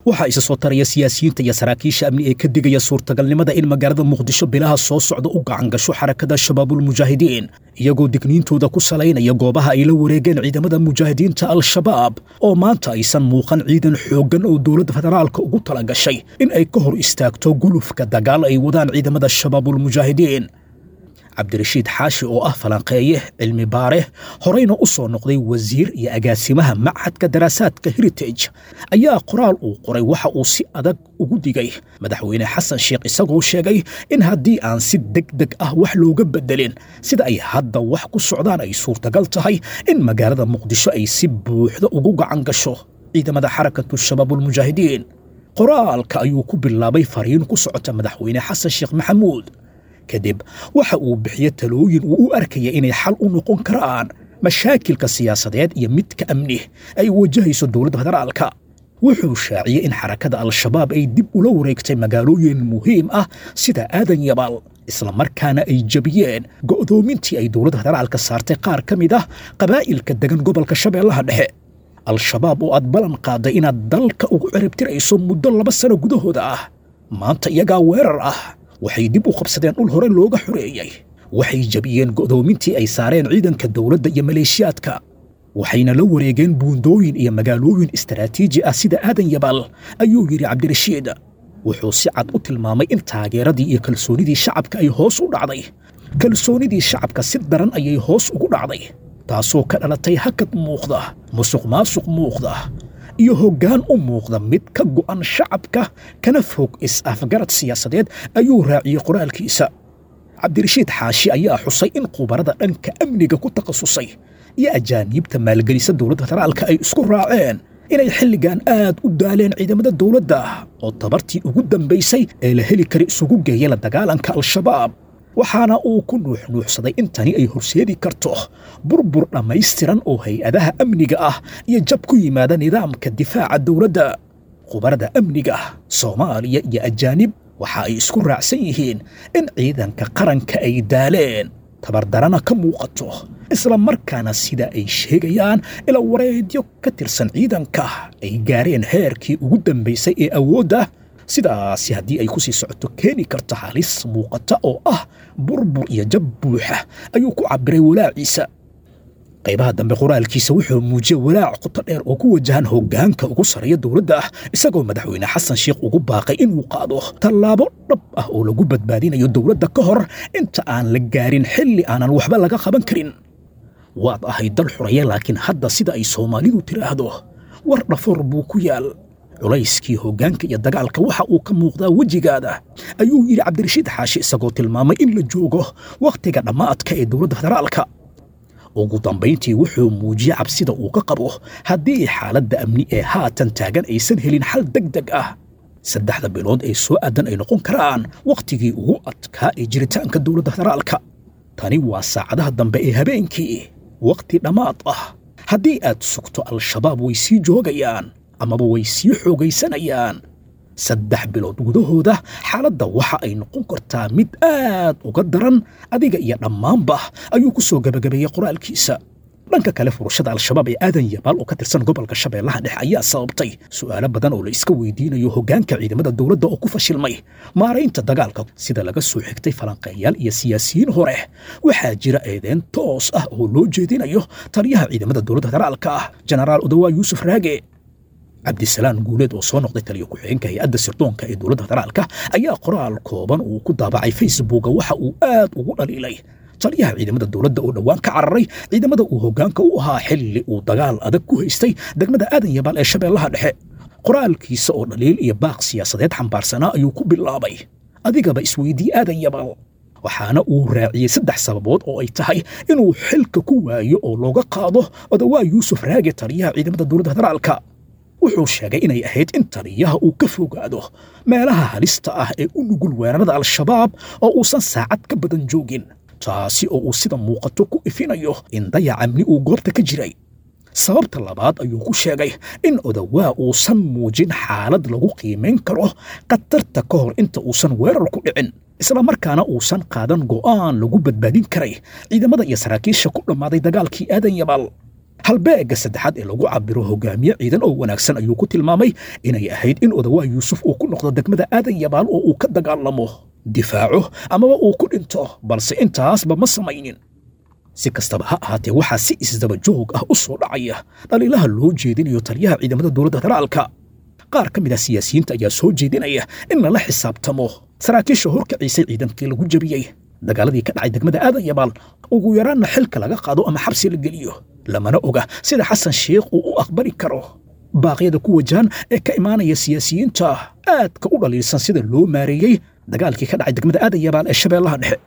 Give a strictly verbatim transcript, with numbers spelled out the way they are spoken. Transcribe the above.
Waxaa isa soo taraya siyaasiyiinta iyo saraakiisha amni ee ka digaya suurtagalnimada in magaalada Muqdisho bilaha soo socda u gacan gasho Xarakada Shabaabulmujaahidiin, iyagoo digniintooda ku salaynaya goobaha ay la wareegeen ciidamada mujaahidiinta Al-Shabaab, oo maanta aysan muuqan ciidan xooggan oo dowladda federaalka ugu tala gashay in ay ka hor istaagto gulufka dagaal ay wadaan ciidamada Shabaabulmujaahidiin. Cabdirashiid Xaashi oo ah falanqeeye cilmi baare, horeyna u soo noqday wasiir iyo agaasimaha Machadka Daraasaadka Heritage, ayaa qoraal uu qoray waxa uu si adag ugu digay Madaxweyne Xasan Sheekh, isagoo sheegay in haddii aan si deg deg ah wax looga bedelin sida ay hadda wax ku socdaan ay suurtagal tahay in magaalada Muqdisho ay si buuxda ugu gacan gasho ciidamada Xarakatu Shabaabulmujaahidiin. Qoraalka ayuu ku bilaabay fariin ku socota Madaxweyne Xasan Sheekh Maxamuud. Kadib waxa uu bixiye talooyin uu u arkaya inay xal u noqon karaan mashaakilka siyaasadeed iyo midka amni ay wajahayso dowladda federaalka. Wuxuu shaaciyey in Xarakada Al-Shabaab ay dib ula wareegtay magaalooyin muhiim ah sida Aadan Yabaal, islamarkaana ay jebiyeen go'doomintii ay dowladda federaalka saartay qaar ka mid ah qabaa'ilka degan gobolka Shabeellaha Dhexe. Al-Shabaab oo aad ballan qaaday inaad dalka ugu ciribtirayso muddo laba sano gudahooda ah, maanta iyagaa weerar ah. Waxay dib u qabsadeen dhul hore looga xoreeyey, waxay jebiyeen go'doomintii ay saareen ciidanka dowladda iyo maleeshiyaadka, waxayna la wareegeen buundooyin iyo magaalooyin istaraatiiji ah sida Aadan Yabaal, ayuu yidhi Cabdirashiid. Wuxuu si cad u tilmaamay in taageeradii iyo kalsoonidii shacabka ay hoos u dhacday. Kalsoonidii shacabka si daran ayay hoos ugu dhacday, taasoo ka dhalatay hakad muuqda, musuq maasuq muuqda iyo hoggaan u muuqda mid ka go'an shacabka kana fog is-afgarad siyaasadeed, ayuu raaciyey qoraalkiisa. Cabdirashiid Xaashi ayaa xusay in khubarada dhanka amniga ku takhasusay iyo ajaaniibta maalgelisa dowladda federaalka ay isku raaceen inay xilligan aad u daaleen ciidamada dowladda oo tabartii ugu dambaysay ee la heli kara isugu geeya la dagaalanka Al-Shabaab, waxaana uu ku nuuxnuuxsaday in tani ay horseedi karto burbur dhammaystiran oo hay-adaha amniga ah iyo jab ku yimaada nidaamka difaaca dowladda. Khubarada amniga Soomaaliya iyo ajaanib waxa ay isku raacsan yihiin in ciidanka qaranka ay daaleen, tabardarana ka muuqato, isla markaana sida ay sheegayaan ila wareedyo ka tirsan ciidanka ay gaareen heerkii ugu dambaysay ee awoodda. Sidaasi haddii ay ku sii socoto keeni karta halis muuqata oo ah burbur iyo jab buuxa, ayuu ku cabbiray walaaciisa. Qaybaha dambe qoraalkiisa wuxuu muujiyey walaac qoto dheer oo ku wajahan hoggaanka ugu sarreeya dowladda ah, isagoo Madaxweyne Xasan Sheekh ugu baaqay inuu qaado tallaabo dhab ah oo lagu badbaadinayo dowladda ka hor inta aan la gaarin xilli aanan waxba laga qaban karin. Waad ahayd dal xuraya, laakiin hadda sida ay Soomaalidu tiraahdo war dhafoor buu ku yaal. Culayskii hoggaanka iyo dagaalka waxa uu ka muuqdaa wejigaada, ayuu yidhi Cabdirashiid Xaashi, isagoo tilmaamay in la joogo wakhtiga dhammaadka ee dowladda federaalka. Ugu dambayntii wuxuu muujiyey cabsida uu ka qabo haddii xaaladda amni ee haatan taagan aysan helin xal deg deg ah, saddexda bilood ee soo aadan ay noqon karaan wakhtigii ugu adkaa ee jiritaanka dowladda federaalka. Tani waa saacadaha dambe ee habeenkii, wakhti dhammaad ah. Haddii aad sugto, Al-Shabaab way sii joogayaan amaba way sii xoogaysanayaan. Saddex bilood gudahooda xaaladda waxa ay noqon kartaa mid aad uga daran adiga iyo dhammaanba, ayuu ku soo gebagabeeyey qoraalkiisa. Dhanka kale, furashada Al-Shabaab ee Aadan Yabaal oo ka tirsan gobolka Shabeellaha Dhexe ayaa sababtay su'aalo badan oo la iska weydiinayo hoggaanka ciidamada dowladda oo ku fashilmay maaraynta dagaalka, sida laga soo xigtay falanqeeyaal iyo siyaasiyiin hore. Waxaa jira eedeen toos ah oo loo jeedinayo taliyaha ciidamada dowladda federaalka ah, Jenaraal Odawaa Yuusuf Raage. Cabdisalaan Guuleed oo soo noqday taliyo ku-xigeenka hay-adda sirdoonka ee dowladda federaalka ayaa qoraal kooban uu ku daabacay Facebooka waxa uu aad ugu dhaliilay taliyaha ciidamada dowladda oo dhowaan ka cararay ciidamada uu hoggaanka u ahaa xilli uu dagaal adag ku haystay degmada Aadan Yabaal ee Shabeellaha Dhexe. Qoraalkiisa oo dhaliil iyo baaq siyaasadeed xambaarsanaa ayuu ku bilaabay, adigaba isweydii Aadan Yabaal, waxaana uu raaciyey saddex sababood oo ay tahay inuu xilka ku waayo oo looga qaado Odawaa Yuusuf Raage, taliyaha ciidamada dowladda federaalka. Wuxuu sheegay inay ahayd in taliyaha uu ka fogaado meelaha halista ah ee u nugul weerarada Al-Shabaab oo uusan saacad ka badan joogin, taasi oo uu sida muuqato ku ifinayo in dayac amni uu goobta ka jiray. Sababta labaad ayuu ku sheegay in Odawaa uusan muujin xaalad lagu qiimayn karo khatarta ka hor inta uusan weerar ku dhicin, islamarkaana uusan qaadan go'aan lagu badbaadin karay ciidamada iyo saraakiisha ku dhammaaday dagaalkii Aadan Yabaal. Halbeegga saddexaad ee lagu cabiro hogaamiye ciidan oo wanaagsan ayuu ku tilmaamay inay ahayd in Odawaa Yuusuf uu ku noqdo degmada Aadan Yabaal oo uu ka dagaalamo, difaaco amaba uu ku dhinto, balse intaasba ma samaynin. Si kastaba ha ahaatee, waxaa si isdaba joog ah u soo dhacaya dhaliilaha loo jeedinayo taliyaha ciidamada dowladda federaalka. Qaar ka mid ah siyaasiyiinta ayaa soo jeedinaya in lala xisaabtamo saraakiisha horkaciisay ciidankii lagu jebiyey dagaaladii ka dhacay degmada Aadan Yabaal, ugu yaraanna xilka laga qaado ama xabsi la geliyo. Lamana oga sida Xasan Sheikh uu u aqbali karo baaqyada ku wajahan ee ka imaanaya siyaasiyiinta aadka u dhaliilsan sida loo maareeyey dagaalkii ka dhacay degmada Aadan Yabaal ee Shabeellaha Dhexe.